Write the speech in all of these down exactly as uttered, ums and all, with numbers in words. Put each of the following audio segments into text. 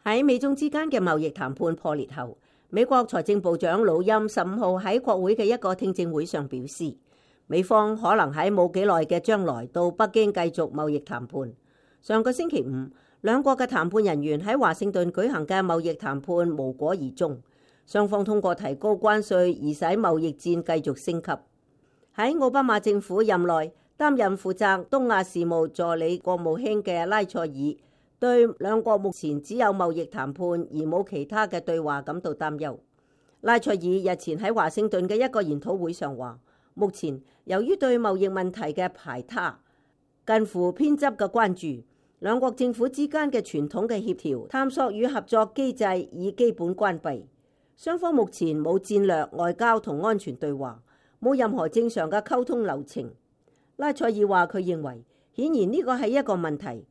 喺美中之間嘅貿易談判破裂後，美國財政部長魯欽十五號喺國會嘅一個聽證會上表示，美方可能喺冇幾耐嘅將來到北京繼續貿易談判。上個星期五，兩國嘅談判人員喺華盛頓舉行嘅貿易談判無果而終，雙方通過提高關稅而使貿易戰繼續升級。喺奧巴馬政府任內擔任負責東亞事務助理國務卿嘅拉塞爾，對兩國目前只有貿易談判而冇其他嘅對話感到擔憂。拉塞爾日前喺華盛頓嘅一個研討會上話，目前由於對貿易問題嘅排他、近乎偏執嘅關注，兩國政府之間嘅傳統嘅協調、探索與合作機制已基本關閉。雙方目前冇戰略、外交同安全對話，冇任何正常嘅溝通流程。拉塞爾話佢認為，顯然呢個係一個問題，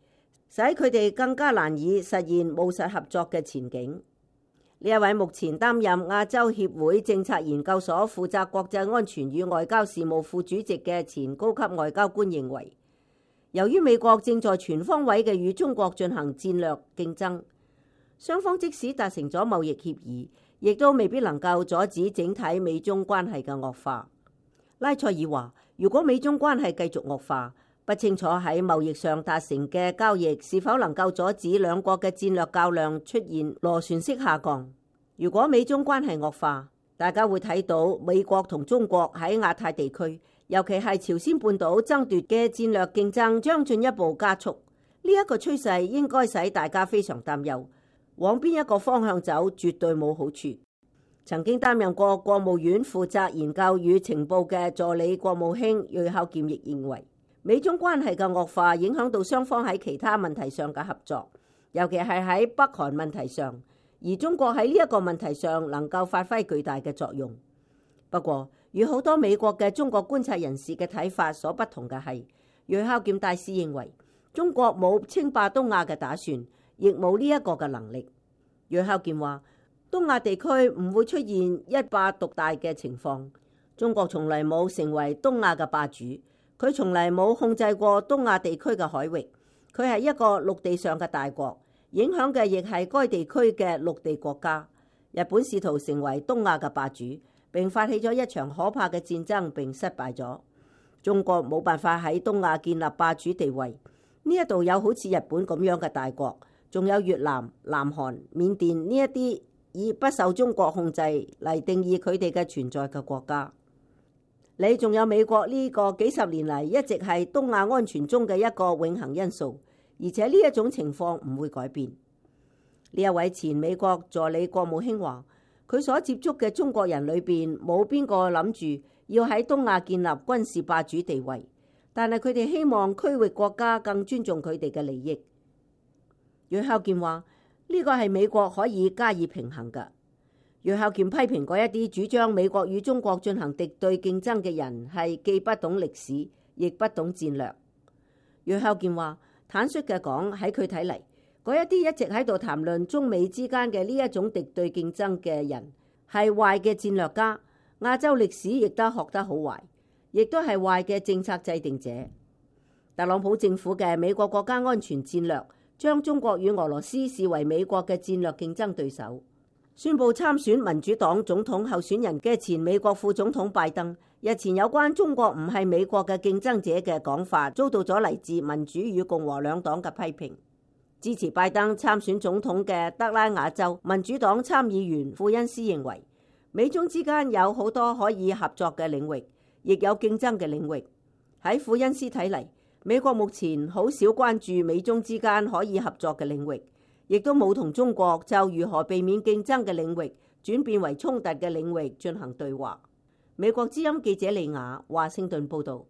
使佢哋更加難以實現務實合作嘅前景。呢一位目前擔任亞洲協會政策研究所負責國際安全與外交事務副主席嘅前高級外交官認為，由於美國正在全方位嘅與中國進行戰略競爭，雙方即使達成咗貿易協議，亦都未必能夠阻止整體美中關係嘅惡化。拉塞爾話，如果美中關係繼續惡化，不清楚喺貿易上達成嘅交易是否能夠阻止兩國嘅戰略較量出現螺旋式下降。如果美中關係惡化，大家會睇到美國同中國喺亞太地區，尤其係朝鮮半島爭奪嘅戰略競爭將進一步加速。呢一個趨勢應該使大家非常擔憂，往邊一個方向走絕對冇好處。曾經擔任過國務院負責研究與情報嘅助理國務卿瑞孝儉亦認為，美中關係嘅惡化影響到雙方喺其他問題上嘅合作，尤其係喺北韓問題上，而中國喺呢一個問題上能夠發揮巨大嘅作用。不過，與好多美國嘅中國觀察人士嘅睇法所不同嘅係，瑞孝儉大使認為中國冇稱霸東亞嘅打算，亦冇呢一個嘅能力。瑞孝儉話，東亞地區唔會出現一霸獨大嘅情況，中國從來冇成為東亞嘅霸主，佢從來冇控制過東亞地區嘅海域，佢係一個陸地上嘅大國，影響嘅亦係該地區嘅陸地國家。日本試圖成為東亞嘅霸主，並發起咗一場可怕嘅戰爭，並失敗咗。中國冇辦法喺東亞建立霸主地位。呢一度有好似日本咁樣嘅大國，仲有越南、南韓、緬甸呢一啲以不受中國控制嚟定義佢哋嘅存在嘅國家。你仲有美國呢個幾十年嚟一直係東亞安全中嘅一個永恆因素，而且呢一種情況唔會改變。呢一位前美國助理國務卿話，佢所接觸嘅中國人裏邊冇邊個諗住要喺東亞建立軍事霸主地位，但係佢哋希望區域國家更尊重佢哋嘅利益。瑞孝儉話，呢個係美國可以加以平衡嘅。瑞孝儉批評嗰一啲主張美國與中國進行敵對競爭嘅人係既不懂歷史，亦不懂戰略。瑞孝儉話，坦率嘅講，喺佢睇嚟，嗰一啲一直喺度談論中美之間嘅呢一種敵對競爭嘅人係壞嘅戰略家，亞洲歷史亦都學得好壞，亦都係壞嘅政策制定者。特朗普政府嘅美國國家安全戰略將中國與俄羅斯視為美國嘅戰略競爭對手。宣布參選民主黨總統候選人嘅前美國副總統拜登，日前有關中國唔係美國嘅競爭者嘅講法，遭到咗嚟自民主與共和兩黨嘅批評。支持拜登參選總統嘅德拉瓦州民主黨參議員庫恩斯認為，美中之間有好多可以合作嘅領域，亦有競爭嘅領域。喺庫恩斯睇嚟，美國目前好少關注美中之間可以合作嘅領域，亦都冇同中國就如何避免競爭嘅領域轉變為衝突嘅領域進行對話。美國之音記者李雅華盛頓報道。